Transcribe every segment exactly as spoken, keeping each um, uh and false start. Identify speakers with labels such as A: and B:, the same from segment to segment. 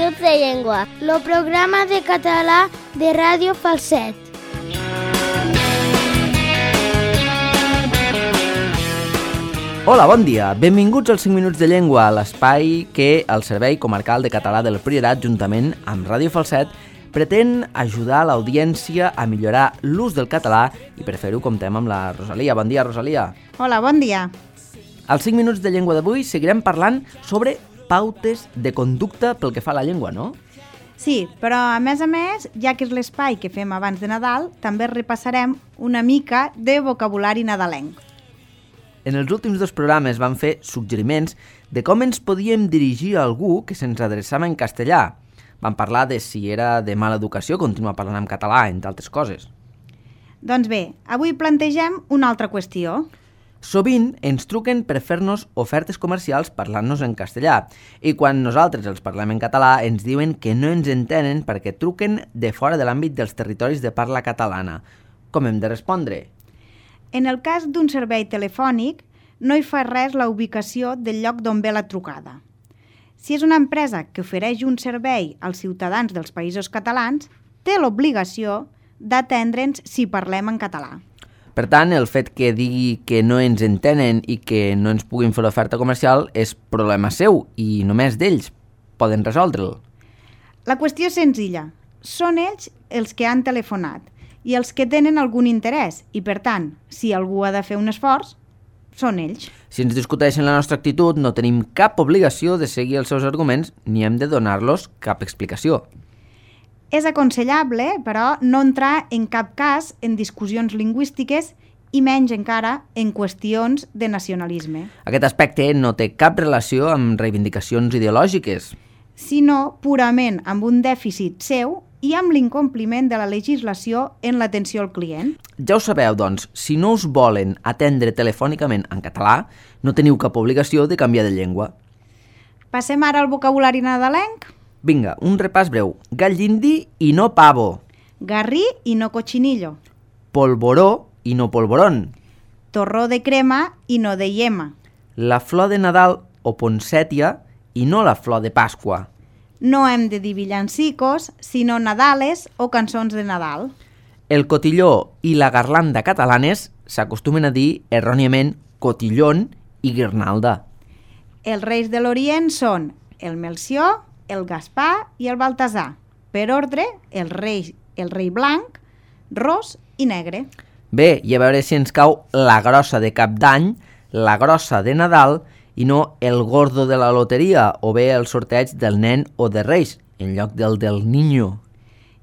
A: minuts de llengua, el programa de català de Ràdio Falset.
B: Hola, bon dia. Benvinguts als cinc minuts de llengua, l'espai que el Servei Comarcal de Català del Priorat, juntament amb Ràdio Falset, pretén ajudar l'audiència a millorar l'ús del català i per fer-ho comptem amb la Rosalia. Bon dia, Rosalia.
C: Hola, bon dia.
B: Als cinc minuts de llengua d'avui seguirem parlant sobre pautes de conducta pel que fa a la llengua, no?
C: Sí, però a més a més, ja que és l'espai que fem abans de Nadal, també repassarem una mica de vocabulari nadalenc.
B: En els últims dos programes vam fer suggeriments de com ens podíem dirigir a algú que se'ns adreçava en castellà. Vam parlar de si era de mala educació continuar parlant en català, entre altres coses.
C: Doncs bé, avui plantegem una altra qüestió.
B: Sovint ens truquen per fer-nos ofertes comercials parlant-nos en castellà i quan nosaltres els parlem en català ens diuen que no ens entenen perquè truquen de fora de l'àmbit dels territoris de parla catalana. Com hem de respondre?
C: En el cas d'un servei telefònic, no hi fa res la ubicació del lloc d'on ve la trucada. Si és una empresa que ofereix un servei als ciutadans dels països catalans, té l'obligació d'atendre'ns si parlem en català.
B: Per tant, el fet que digui que no ens entenen i que no ens puguin fer l'oferta comercial és problema seu i només d'ells poden resoldre'l.
C: La qüestió és senzilla. Són ells els que han telefonat i els que tenen algun interès i, per tant, si algú ha de fer un esforç, són ells.
B: Si ens discuteixen la nostra actitud, no tenim cap obligació de seguir els seus arguments ni hem de donar-los cap explicació.
C: És aconsellable, però, no entrar en cap cas en discussions lingüístiques i menys encara en qüestions de nacionalisme.
B: Aquest aspecte no té cap relació amb reivindicacions ideològiques,
C: sinó purament amb un dèficit seu i amb l'incompliment de la legislació en l'atenció al client.
B: Ja ho sabeu, doncs, si no us volen atendre telefònicament en català, no teniu cap obligació de canviar de llengua.
C: Passem ara al vocabulari nadalenc.
B: Vinga, un repàs breu. Gall d'indi i no pavo.
C: Garrí i no cochinillo.
B: Polvoró i no polvorón.
C: Torró de crema i no de yema.
B: La flor de Nadal o poncètia i no la flor de Pasqua.
C: No hem de dir villancicos, sinó nadales o cançons de Nadal.
B: El cotilló i la garlanda catalanes s'acostumen a dir erròniament cotillón i guirnalda.
C: Els reis de l'Orient són el Melcior, el Gaspar i el Baltasar. Per ordre, el rei, el rei blanc, ros i negre.
B: Bé, i a veure si ens cau la grossa de Cap d'Any, la grossa de Nadal i no el gordo de la loteria o bé el sorteig del nen o de Reis, en lloc del del niño.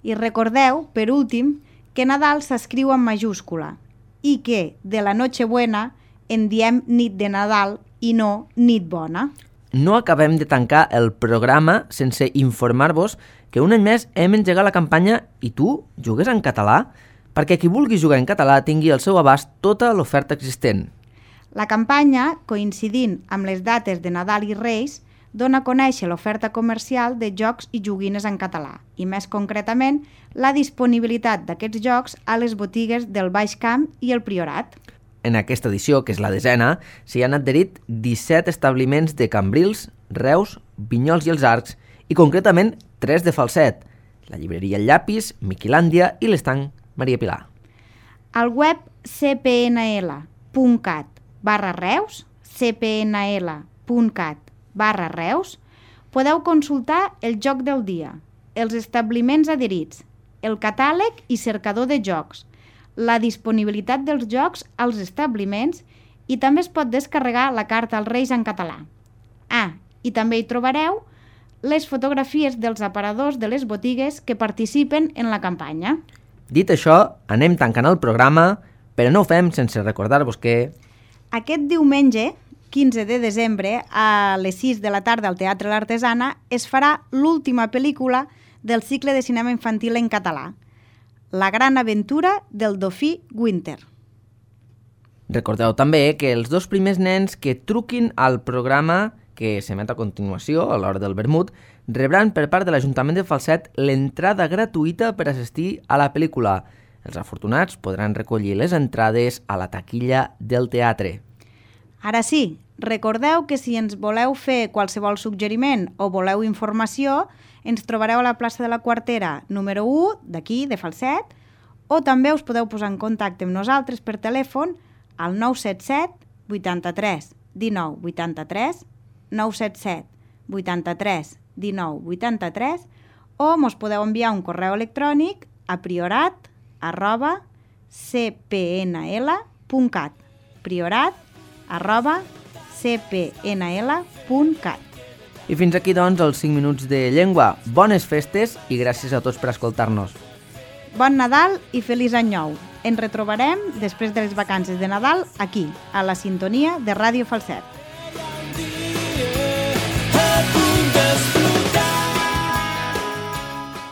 C: I recordeu, per últim, que Nadal s'escriu en majúscula i que de la Nochebuena en diem nit de Nadal i no nit bona.
B: No acabem de tancar el programa sense informar-vos que un any més hem engegat la campanya I tu jugues en català? Perquè qui vulgui jugar en català tingui al seu abast tota l'oferta existent.
C: La campanya, coincidint amb les dates de Nadal i Reis, dona a conèixer l'oferta comercial de jocs i joguines en català i, més concretament, la disponibilitat d'aquests jocs a les botigues del Baix Camp i el Priorat.
B: En aquesta edició, que és la desena, s'hi han adherit disset establiments de Cambrils, Reus, Vinyols i els Arcs i, concretament, tres de Falset, la llibreria El Llapis, Miquilàndia i l'estanc Maria Pilar.
C: Al web cpnl.cat barra Reus, cpnl.cat barra Reus, podeu consultar el joc del dia, els establiments adherits, el catàleg i cercador de jocs, la disponibilitat dels jocs als establiments i també es pot descarregar la carta als Reis en català. Ah, i també hi trobareu les fotografies dels aparadors de les botigues que participen en la campanya.
B: Dit això, anem tancant el programa, però no ho fem sense recordar-vos que...
C: Aquest diumenge, quinze de desembre, a les sis de la tarda al Teatre L'Artesana, es farà l'última pel·lícula del cicle de cinema infantil en català, La gran aventura del dofí Winter.
B: Recordeu també que els dos primers nens que truquin al programa que s'emet a continuació, a l'hora del vermut, rebran per part de l'Ajuntament de Falset l'entrada gratuïta per assistir a la pel·lícula. Els afortunats podran recollir les entrades a la taquilla del teatre.
C: Ara sí, recordeu que si ens voleu fer qualsevol suggeriment o voleu informació, ens trobareu a la plaça de la Quartera número u, d'aquí, de Falset, o també us podeu posar en contacte amb nosaltres per telèfon al nou set set vuitanta-tres dinou vuitanta-tres, nou set set vuitanta-tres dinou vuitanta-tres, o mos podeu enviar un correu electrònic a priorat arroba c p n l punt cat, priorat arroba c p n l punt cat.
B: I fins aquí, doncs, els cinc minuts de llengua. Bones festes i gràcies a tots per escoltar-nos.
C: Bon Nadal i feliç any nou. Ens retrobarem després de les vacances de Nadal aquí, a la sintonia de Ràdio Falset.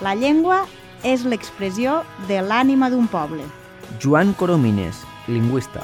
C: La llengua és l'expressió de l'ànima d'un poble.
B: Joan Coromines, lingüista.